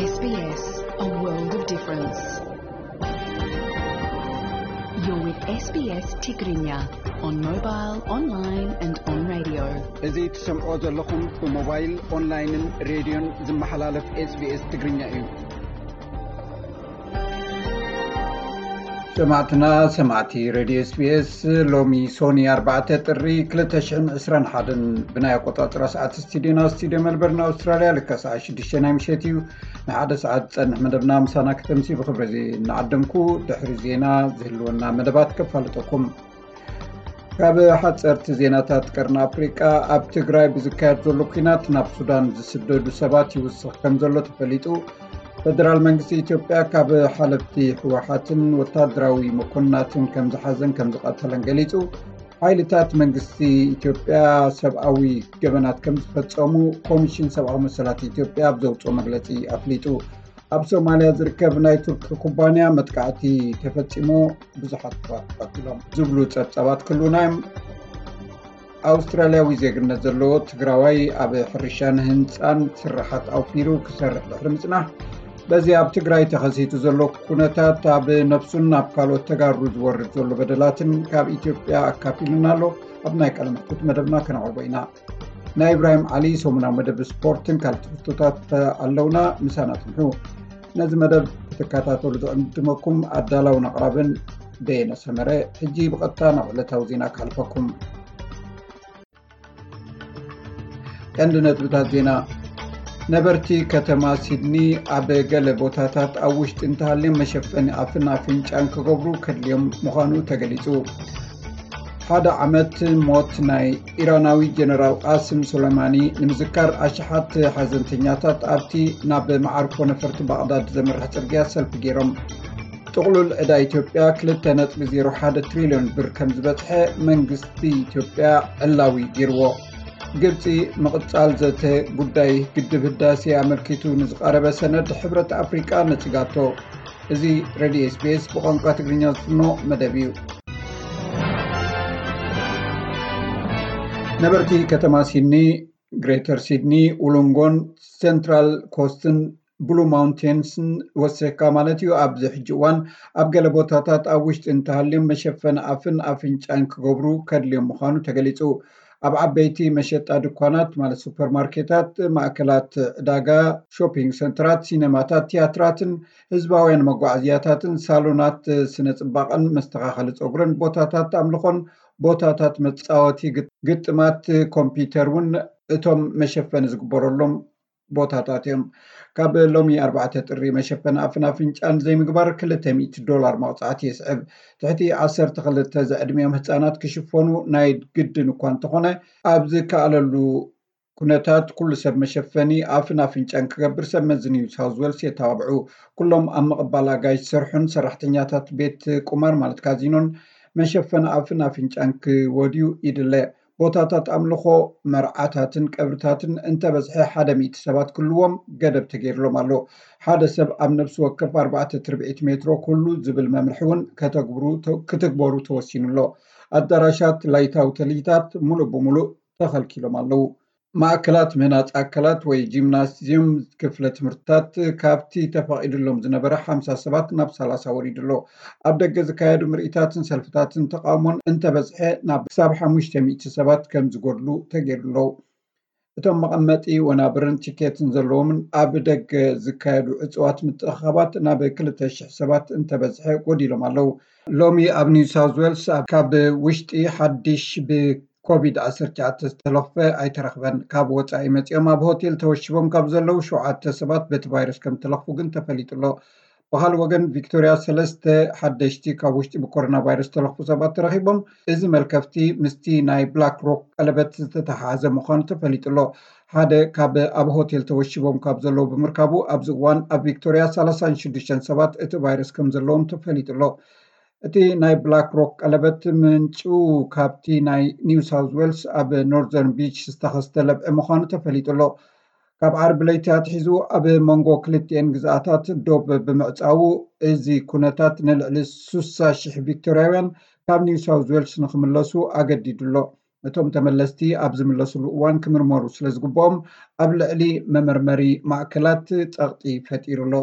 S B S, a world of difference. You're with S B S Tigrinya on mobile, online and on radio. እዚ ትሰምዖ ዘለኹም ብሞባይል፣ ኦንላይንን ሬድዮን ዝመሓላለፍ S B S ትግርኛ እዩ። ሰማዕትና፣ ሰማዕቲ ሬድዮ S B S፣ ሎሚ ሶኒ ኣርባዕተ ጥሪ ክልተ ሽሕን ዕስራን ሓደን ብናይ ኣቆጻጽራ ሰዓት ስቱዲዮና፣ ስቱዲዮ ሜልበርን ኣውስትራልያ፣ ልክዕ ሰዓት ሽዱሽተ ናይ ምሸት እዩ። ንሓደ ሰዓት ዝጸንሕ መደብና ምሳና ክተምሲ ብኽብሪ እዚ እናዓደምኩ፣ ድሕሪ ዜና ዝህልወና መደባት ከፋልጠኩም። ካብ ሓጸርቲ ዜናታት ቀርኒ ኣፍሪቃ፣ ኣብ ትግራይ ብዝካየድ ዘሎ ኲናት ናብ ሱዳን ዝስደዱ ሰባት ይውስኽ ከም ዘሎ ተፈሊጡ። ፈደራል መንግስቲ ኢትዮጵያ ካብ ሓለፍቲ ህወሓትን ወታደራዊ መኮንናትን ከም ዝሓዘን ከም ዝቐተለን ገሊጹ። ሓይልታት መንግስቲ ኢትዮጵያ ሰብኣዊ ገበናት ከም ዝፈጸሙ ኮሚሽን ሰብኣዊ መሰላት ኢትዮጵያ ኣብ ዘውፅኦ መግለጺ ኣፍሊጡ። ኣብ ሶማልያ ዝርከብ ናይ ቱርኪ ኩባንያ መጥቃዕቲ ተፈጺሞ፣ ብዙሓት ሰባት ተቐቲሎም ዝብሉ ጸብጻባት ክህልዉና እዮም። ኣውስትራልያዊ ዜግነት ዘለዎ ትግራዋይ ኣብ ሕርሻን ህንፃን ስራሓት ኣውፊሩ ክሰርሕ ድሕሪ ምጽናሕ፣ በዚ ኣብ ትግራይ ተኸሲቱ ዘሎ ኩነታት ኣብ ነብሱን ኣብ ካልኦት ተጋሩ ዝወርድ ዘሎ በደላትን ካብ ኢትዮጵያ ኣካፊሉና ኣሎ። ኣብ ናይ ቃለ መሕትት መደብና ከነቕርቦ ኢና። ናይ ኢብራሂም ዓሊ ሰሙናዊ መደብ ስፖርትን ካልእ ትሕዝቶታት ኣለውና። ምሳና ጽንሑ። ነዚ መደብ ክትከታተሉ ዝዕድመኩም ኣዳላውን ኣቕራብን በየነ ሰመረ። ሕጂ ብቐጥታ ናብ ዕለታዊ ዜና ክሓልፈኩም። ቀንዲ ነጥብታት ዜና። ነበርቲ ከተማ ሲድኒ ኣብ ገለ ቦታታት ኣብ ውሽጢ እንተሃልዮም መሸፈኒ ኣፍን ኣፍንጫን ክገብሩ ከድልዮም ምዃኑ ተገሊጹ። ሓደ ዓመት ሞት ናይ ኢራናዊ ጀነራል ቃስም ሱሌማኒ ንምዝካር፣ ኣሽሓት ሓዘንተኛታት ኣብቲ ናብ መዓርፎ ነፈርቲ ባቕዳድ ዘምርሕ ጽርግያ ሰልፊ ገይሮም። ጥቕሉል ዕዳ ኢትዮጵያ ክልተ ነጥቢ ዜሮ ሓደ ትሪልዮን ብር ከም ዝበጽሐ መንግስቲ ኢትዮጵያ ዕላዊ ገይርዎ። ግብጺ ምቕጻል ዘተ ጉዳይ ግድብ ህዳሴ ኣመልኪቱ ንዝቐረበ ሰነድ ሕብረት ኣፍሪቃ ነጺጋቶ። እዚ ሬድዮ S B S ብቋንቋ ትግርኛ ዝፍኖ መደብ እዩ። ነበርቲ ከተማ ሲድኒ፣ ግሬተር ሲድኒ፣ ውሉንጎን ሴንትራል ኮስትን ብሉ ማውንቴንስን ወሲኽካ ማለት እዩ፣ ኣብዚ ሕጂ እዋን ኣብ ገለ ቦታታት ኣብ ውሽጢ እንተሃልዮም መሸፈኒ ኣፍን ኣፍንጫን ክገብሩ ከድልዮም ምዃኑ ተገሊጹ። ኣብ ዓበይቲ መሸጣ ድኳናት ማለት ሱፐርማርኬታት፣ ማእከላት ዕዳጋ፣ ሾፒንግ ሰንተራት፣ ሲነማታት፣ ቲያትራትን ህዝባውያን መጓዓዝያታትን ሳሎናት ስነ ጽባቐን መስተኻኸሊ ጸጉርን ቦታታት ኣምልኾን ቦታታት መጻወቲ ግጥ-፣ ግጥማት ኮምፒውተር እውን እቶም መሸፈኒ ዝግበረሎም ቦታታት እዮም። ካብ ሎሚ ኣርባዕተ ጥሪ መሸፈኒ ኣፍን ኣፍንጫን ዘይምግባር ክልተ ሚእቲ ዶላር መቕጻዕቲ የስዕብ። ትሕቲ ዓሰርተ ክልተ ዝዕድሚኦም ህጻናት ክሽፈኑ ናይ ግድን እኳ እንተኾነ፣ ኣብ ዝከኣለሉ ኩነታት ኩሉ ሰብ መሸፈኒ ኣፍን ኣፍንጫን ክገብር ሰብ መዚ ኒው ሳውዝ ዌልስ የተባብዑ። ኩሎም ኣብ ምቕባል ኣጋይሽ ዝሰርሑን ሰራሕተኛታት ቤት ቁማር ማለት ካዚኖን መሸፈኒ ኣፍን ኣፍንጫን ክወድዩ ይድለ። ቦታታት ኣምልኾ፣ መርዓታትን ቀብርታትን እንተበዝሐ ሓደ ሚእቲ ሰባት ክህልዎም ገደብ ተገይርሎም ኣሎ። ሓደ ሰብ ኣብ ነፍሲ ወከፍ ኣርባዕተ ትርብዒት ሜትሮ ክህሉ ዝብል መምርሒ እውን ከተግብሩ፣ ክትግበሩ ተወሲኑ ኣሎ። ኣዳራሻት፣ ላይታዊ ተልሂታት ሙሉእ ብሙሉእ ተኸልኪሎም ኣለዉ። ማእከላት ምህናጽ ኣካላት ወይ ጂምናዝዩም ክፍለ ትምህርትታት ካብቲ ተፈቒድሎም ዝነበረ ሓምሳ ሰባት ናብ ሰላሳ ወሪዱ ኣሎ። ኣብ ደገ ዝካየዱ ምርኢታትን ሰልፍታትን ተቓውሞን እንተበዝሐ ናብ ክሳብ ሓሙሽተ ሚእቲ ሰባት ከም ዝጎድሉ ተገይሩ ኣሎ። እቶም መቐመጢ ወናብርን ቲኬትን ዘለዎምን ኣብ ደገ ዝካየዱ ዕጽዋት ምትእኽኻባት ናብ ክልተ ሽሕ ሰባት እንተበዝሐ ጎዲሎም ኣለዉ። ሎሚ ኣብ ኒው ሳውዝ ዌልስ ኣብ፣ ካብ ውሽጢ ሓድሽ ብኮቪድ ዓሰርተ ትሽዓተ ዝተለኽፈ ኣይተረኽበን። ካብ ወጻኢ መጺኦም ኣብ ሆቴል ተወሺቦም ካብ ዘለዉ ሸውዓተ ሰባት በቲ ቫይረስ ከም ተለኽፉ ግን ተፈሊጡ ኣሎ። ብኻልእ ወገን፣ ቪክቶርያ ሰለስተ ሓደሽቲ ካብ ውሽጢ ብኮሮና ቫይረስ ተለኽፉ ሰባት ተረኺቦም። እዚ መልከፍቲ ምስቲ ናይ ብላክ ሮክ ቀለበት ዝተተሓሓዘ ምዃኑ ተፈሊጡ ኣሎ። ሓደ ካብ ኣብ ሆቴል ተወሺቦም ካብ ዘለዉ ብምርካቡ፣ ኣብዚ እዋን ኣብ ቪክቶርያ ሰላሳን ሽዱሽተን ሰባት እቲ ቫይረስ ከም ዘለዎም ተፈሊጡ ኣሎ። እቲ ናይ ብላክ ሮክ ቀለበት ምንጩ ካብቲ ናይ ኒው ሳውዝ ዌልስ ኣብ ኖርዘርን ቢች ዝተኸስተ ለብዒ ምዃኑ ተፈሊጡ ኣሎ። ካብ ዓርቢ ለይቲ ኣትሒዙ ኣብ መንጎ ክልቲኤን ግዝኣታት ዶብ ብምዕጻዉ፣ እዚ ኩነታት ንልዕሊ ስሳ ሽሕ ቪክቶርያውያን ካብ ኒው ሳውዝ ዌልስ ንኽምለሱ ኣገዲዱ ኣሎ። እቶም ተመለስቲ ኣብ ዝምለስሉ እዋን ክምርመሩ ስለ ዝግብኦም ኣብ ልዕሊ መመርመሪ ማእከላት ጸቕጢ ፈጢሩ ኣሎ።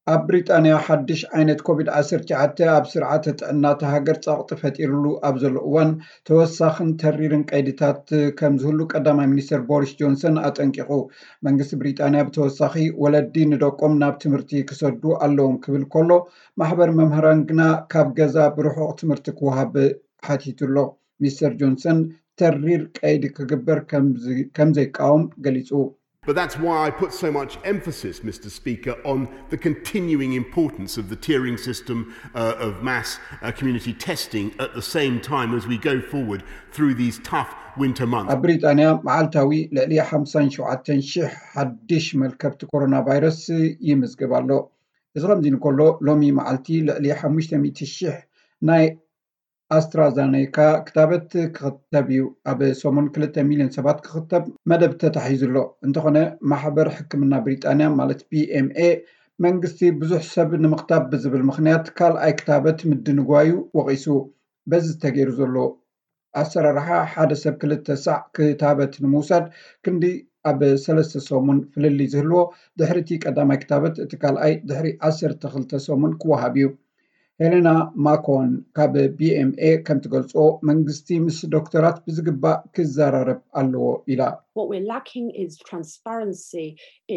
ኣብ ብሪጣንያ ሓድሽ ዓይነት ኮቪድ ዓሰርተ ትሽዓተ ኣብ ስርዓተ ጥዕና እታ ሃገር ጸቕጢ ፈጢሩሉ ኣብ ዘሎ እዋን፣ ተወሳኽን ተሪርን ቀይድታት ከም ዝህሉ ቀዳማይ ሚኒስተር ቦሪስ ጆንሰን ኣጠንቂቑ። መንግስቲ ብሪጣንያ ብተወሳኺ ወለዲ ንደቆም ናብ ትምህርቲ ክሰዱ ኣለዎም ክብል ከሎ፣ ማሕበር መምህራን ግና ካብ ገዛ ብርሑቕ ትምህርቲ ክወሃብ ሓቲቱ ኣሎ። ሚስተር ጆንሰን ተሪር ቀይዲ ክግበር ከም ዝ-፣ ከም ዘይቃወም ገሊጹ። But that's why I put so much emphasis, Mister Speaker, on the continuing importance of the tiering system, uh, of mass, uh, community testing at the same time as we go forward through these tough winter months. ኣብ ብሪጣንያ መዓልታዊ ልዕሊ ሓምሳን ሸውዓተን ሽሕ ሓድሽ መልከፍቲ ኮሮና ቫይረስ ይምዝገብ ኣሎ። እዚ ከምዚ እንከሎ፣ ሎሚ መዓልቲ ልዕሊ ሓሙሽተ ሚእቲ ሽሕ ናይ ኣስትራዛኔካ ክታበት ክኽተብ እዩ። ኣብ ሰሙን ክልተ ሚልዮን ሰባት ክኽተብ መደብ ተታሒዙ ኣሎ። እንተኾነ፣ ማሕበር ሕክምና ብሪጣንያ፣ ማለት ቢ ኤም ኤ፣ መንግስቲ ብዙሕ ሰብ ንምኽታብ ብዝብል ምኽንያት ካልኣይ ክታበት ምድንጓዩ ወቒሱ። በዚ ተገይሩ ዘሎ ኣሰራርሓ፣ ሓደ ሰብ ክልተ ሳዕ ክታበት ንምውሳድ ክንዲ ኣብ ሰለስተ ሰሙን ፍልልይ ዝህልዎ፣ ድሕሪ እቲ ቀዳማይ ክታበት እቲ ካልኣይ ድሕሪ ዓሰርተ ክልተ ሰሙን ክወሃብ እዩ። ሄሌና ማኮን ካብ ቢ ኤም ኤ ከም ትገልጾ፣ መንግስቲ ምስ ዶክተራት ብዝግባእ ክዘራረብ ኣለዎ ኢላ። What we're lacking is transparency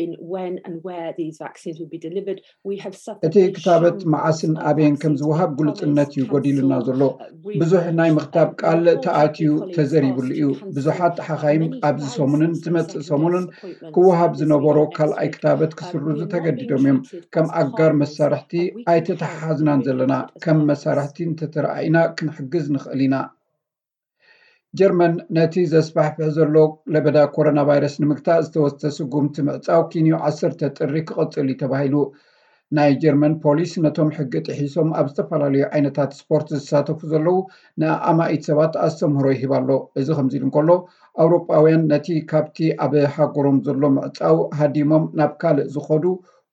in when and where these vaccines will be delivered. We have suffered እቲ a ክታበት shambles መዓስን of ኣበየን ከም vaccines ዝወሃብ being ግሉጽነት promised, እዩ ጎዲሉና cancelled, ዘሎ። uh, ብዙሕ ናይ rerouted, ምኽታብ and ቃል unfortunately, ተኣትዩ colleagues ተዘሪቡሉ asked እዩ። to come ብዙሓት and ተሓኻይም many ኣብዚ times ሰሙንን for ዝመጽእ many ሰሙንን separate ክወሃብ appointments ዝነበሮ this ካልኣይ week. ክታበት Um, ክስርዙ we're not being ተገዲዶም እዮም። treated ከም as ኣጋር partners መሳርሕቲ and we can help if ኣይተተሓሓዝናን we're ዘለና። treated as ከም partners. መሳርሕቲ እንተተረኣኢና ክንሕግዝ ንኽእል ኢና። ጀርመን ነቲ ዘስፋሕፍሕ ዘሎ ለበዳ ኮሮና ቫይረስ ንምግታእ ዝተወስደ ስጉምቲ ምዕጻው ኪንዮ ዓሰርተ ጥሪ ክቕጽል እዩ ተባሂሉ። ናይ ጀርመን ፖሊስ ነቶም ሕጊ ጥሒሶም ኣብ ዝተፈላለዩ ዓይነታት ስፖርት ዝሳተፉ ዘለዉ ንኣማኢት ሰባት ኣስተምህሮ ይህብ ኣሎ። እዚ ከምዚ ኢሉ እንከሎ፣ ኣውሮጳውያን ነቲ ካብቲ ኣብ ሃገሮም ዘሎ ምዕጻው ሃዲሞም ናብ ካልእ ዝኸዱ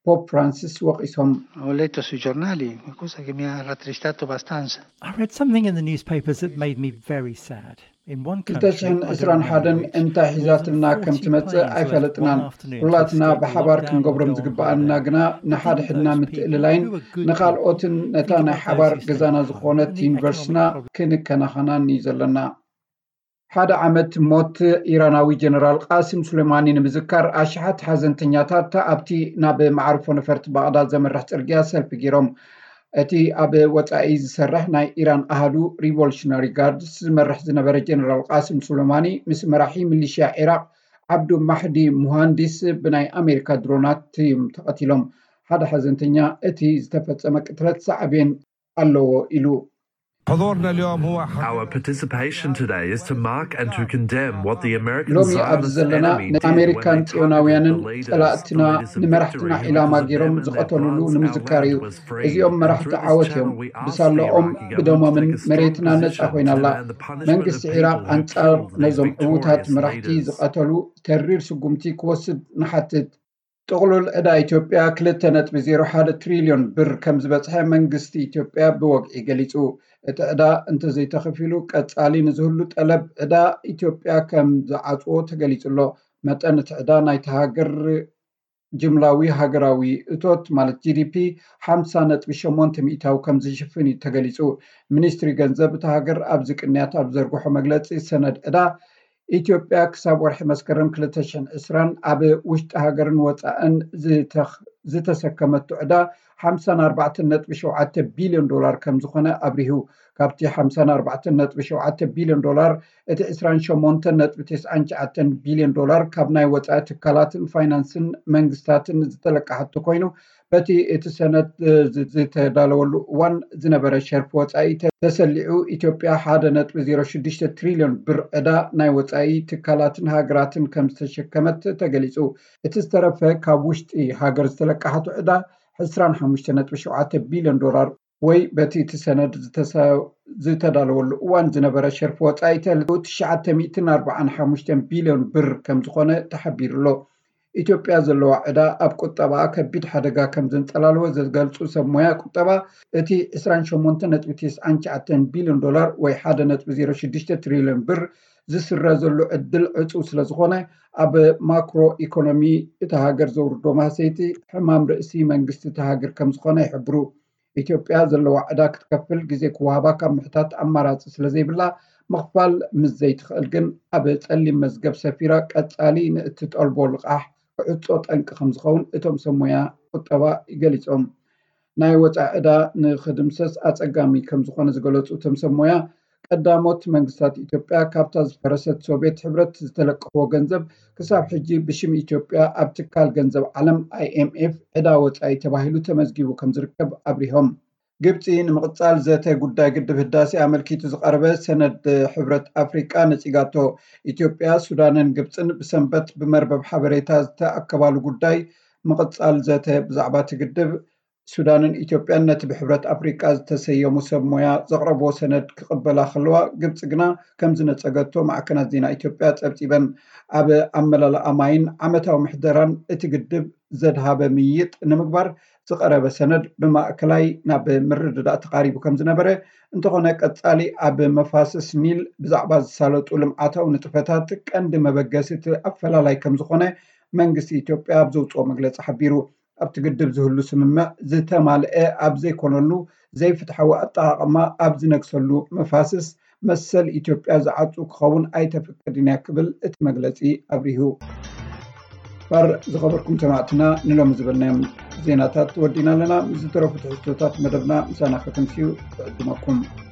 ፖፕ ፍራንሲስ ወቒሶም። Ho letto sui giornali, una cosa che mi ha rattristato abbastanza. I read something in the newspapers that made me very sad. In one country, I don't remember which, more than እንታይ ሒዛትና ከም forty ትመጽእ planes left ኣይፈለጥናን። one afternoon to ኩላትና escape the ብሓባር lockdown ክንገብሮም in Dubai. ዝግብኣና ግና ንሓድሕድና Those people ምትእልላይን who were good ንኻልኦትን ነታ ናይ ሓባር ገዛና ዝኾነት ዩኒቨርሲቲና ክንከናኸናን እዩ ዘለና። ሓደ ዓመት ሞት ኢራናዊ ጀነራል ቃሲም ሱሌማኒ ንምዝካር ኣሽሓት ሓዘንተኛታት ኣብቲ ናብ መዓርፎ ነፈርቲ ባቕዳድ ዘምርሕ ጽርግያ ሰልፊ ገይሮም። እቲ ኣብ ወጻኢ ዝሰርሕ ናይ ኢራን ኣሃዱ ሪቮሉሽነሪ ጋርድስ ዝመርሕ ዝነበረ ጀነራል ቃሲም ሱሌማኒ ምስ መራሒ ሚሊሽያ ዒራቕ ዓብዱ ማሕዲ ሙሃንዲስ ብናይ ኣሜሪካ ድሮናት እዮም ተቐቲሎም። ሓደ ሓዘንተኛ፣ እቲ ዝተፈጸመ ቅትለት ሳዕቤን ኣለዎ ኢሉ። Our participation today is to mark and to condemn what the American ሎሚ ኣብዚ ዘለና ነቲ ኣሜሪካን ጽዮናውያንን ጸላእትና ንመራሕትና ዒላማ ገይሮም ዝቐተሉሉ ንምዝካር እዩ። እዚኦም መራሕቲ ዓወት እዮም። ብሳላኦም ብደሞምን መሬትና ነጻ ኮይና ኣላ። መንግስቲ ዒራቕ ኣንጻር ነዞም ዕዉታት መራሕቲ ዝቐተሉ ተሪር ስጉምቲ ክወስድ ንሓትት። ጥቕሉል ዕዳ ኢትዮጵያ ክልተ ነጥቢ ዜሮ ሓደ ትሪልዮን ብር ከም ዝበጽሐ መንግስቲ ኢትዮጵያ ብወግዒ ገሊጹ። እቲ ዕዳ እንተዘይተኸፊሉ ቀጻሊ ንዝህሉ ጠለብ ዕዳ ኢትዮጵያ ከም ዝዓጽዎ ተገሊጹ ኣሎ። መጠን እቲ ዕዳ ናይታ ሃገር ጅምላዊ ሃገራዊ እቶት ማለት ጂ ዲ ፒ ሓምሳ ነጥቢ ሸሞንተ ሚእታዊ ከም ዝሽፍን እዩ ተገሊጹ። ሚኒስትሪ ገንዘብ እታ ሃገር ኣብዚ ቅንያት ኣብ ዘርግሖ መግለጺ ሰነድ ዕዳ ኢትዮጵያ ክሳብ ወርሒ መስከረም ክልተ ሽሕን ዕስራን ኣብ ውሽጢ ሃገርን ወጻእን ዝተኸ-፣ ዝተሰከመቶ ዕዳ ሓምሳን ኣርባዕተን ነጥቢ ሸውዓተ ቢልዮን ዶላር ከም ዝኾነ ኣብሪሁ። ካብቲ ሓምሳን ኣርባዕተን ነጥቢ ሸውዓተ ቢልዮን ዶላር እቲ ዕስራን ሸሞንተን ነጥቢ ተስዓን ትሽዓተን ቢልዮን ዶላር ካብ ናይ ወጻኢ ትካላትን ፋይናንስን መንግስታትን ዝተለቃሓቶ ኮይኑ፣ በቲ እቲ ሰነድ ዝ-፣ ዝተዳለወሉ እዋን ዝነበረ ሸርፊ ወጻኢ ተ-፣ ተሰሊዑ ኢትዮጵያ ሓደ ነጥቢ ዜሮ ሽዱሽተ ትሪልዮን ብር ዕዳ ናይ ወጻኢ ትካላትን ሃገራትን ከም ዝተሸከመት ተገሊጹ። እቲ ዝተረፈ ካብ ውሽጢ ሃገር ዝተለቃሓቶ ዕዳ ዕስራን ሓሙሽተ ነጥቢ ሸውዓተ ቢልዮን ዶላር ወይ በቲ እቲ ሰነድ ዝተሰ-፣ ዝተዳለወሉ እዋን ዝነበረ ሸርፊ ወጻኢ ተልኡ ትሽዓተ ሚእትን ኣርባዓን ሓሙሽተን ቢልዮን ብር ከም ዝኾነ ተሓቢሩ ኣሎ። ኢትዮጵያ ዘለዋ ዕዳ ኣብ ቁጠባኣ ከቢድ ሓደጋ ከም ዘንጸላልወ ዘገልጹ ሰብ ሞያ ቁጠባ፣ እቲ ዕስራን ሸሞንተን ነጥቢ ተስዓን ትሽዓተን ቢልዮን ዶላር ወይ ሓደ ነጥቢ ዜሮ ሽዱሽተ ትሪልዮን ብር ዝስረ ዘሎ ዕድል ዕጹው ስለ ዝኾነ፣ ኣብ ማክሮ ኢኮኖሚ እታ ሃገር ዘውርዶ ማህሰይቲ ሕማም ርእሲ መንግስቲ እታ ሃገር ከም ዝኾነ ይሕብሩ። ኢትዮጵያ ዘለዋ ዕዳ ክትከፍል ግዜ ክወሃባ ካብ ምሕታት ኣማራጺ ስለ ዘይብላ፣ ምኽፋል ምስ ዘይትኽእል ግን ኣብ ጸሊም መዝገብ ሰፊራ ቀጻሊ ንእትጠልቦ ልቓሕ ክዕጾ ጠንቂ ከም ዝኸውን እቶም ሰብ ሞያ ቁጠባ ገሊጾም። ናይ ወጻኢ ዕዳ ንኽድምሰስ ኣጸጋሚ ከም ዝኾነ ዝገለጹ እቶም ሰብ ሞያ፣ ቀዳሞት መንግስታት ኢትዮጵያ ካብታ ዝፈረሰት ሶቪየት ሕብረት ዝተለቀሕዎ ገንዘብ ክሳብ ሕጂ ብሽም ኢትዮጵያ ኣብ ትካል ገንዘብ ዓለም ኣይኤምኤፍ ዕዳ ወጻኢ ተባሂሉ ተመዝጊቡ ከም ዝርከብ ኣብሪሆም። ግብፂ ንምቕፃል ዘተ ጉዳይ ግድብ ህዳሴ ኣመልኪቱ ዝቐረበ ሰነድ ሕብረት ኣፍሪቃ ነፂጋቶ። ኢትዮጵያ፣ ሱዳንን ግብፅን ብሰንበት ብመርበብ ሓበሬታ ዝተኣከባሉ ጉዳይ ምቕፃል ዘተ ብዛዕባ እቲ ግድብ፣ ሱዳንን ኢትዮጵያን ነቲ ብሕብረት ኣፍሪቃ ዝተሰየሙ ሰብ ሞያ ዘቕረብዎ ሰነድ ክቕበላ ከለዋ፣ ግብፂ ግና ከም ዝነጸገቶ ማዕከናት ዜና ኢትዮጵያ ጸብጺበን። ኣብ ኣመላልኣ ማይን ዓመታዊ ምሕደራን እቲ ግድብ ዘድሃበ ምይይጥ ንምግባር ዝቐረበ ሰነድ ብማእከላይ ናብ ምርድዳእ ተቓሪቡ ከም ዝነበረ፣ እንተኾነ ቀጻሊ ኣብ መፋስስ ኒል ብዛዕባ ዝሳለጡ ልምዓታዊ ንጥፈታት ቀንዲ መበገሲ እቲ ኣፈላላይ ከም ዝኾነ መንግስቲ ኢትዮጵያ ኣብ ዘውፅኦ መግለፂ ሓቢሩ። ኣብቲ ግድብ ዝህሉ ስምምዕ ዝተማልአ ኣብ ዘይኮነሉ፣ ዘይፍትሓዊ ኣጠቓቕማ ኣብ ዝነግሰሉ መፋስስ መሰል ኢትዮጵያ ዝዓጹ ክኸውን ኣይተፍቅድን እያ ክብል እቲ መግለጺ ኣብሪሁ። ባር ዝኸበርኩም ሰማዕትና፣ ንሎሚ ዝበልናዮም ዜናታት ወዲና ኣለና። ምስ ዝተረፉ ትሕዝቶታት መደብና ምሳና ከተምስዩ እዕድመኩም።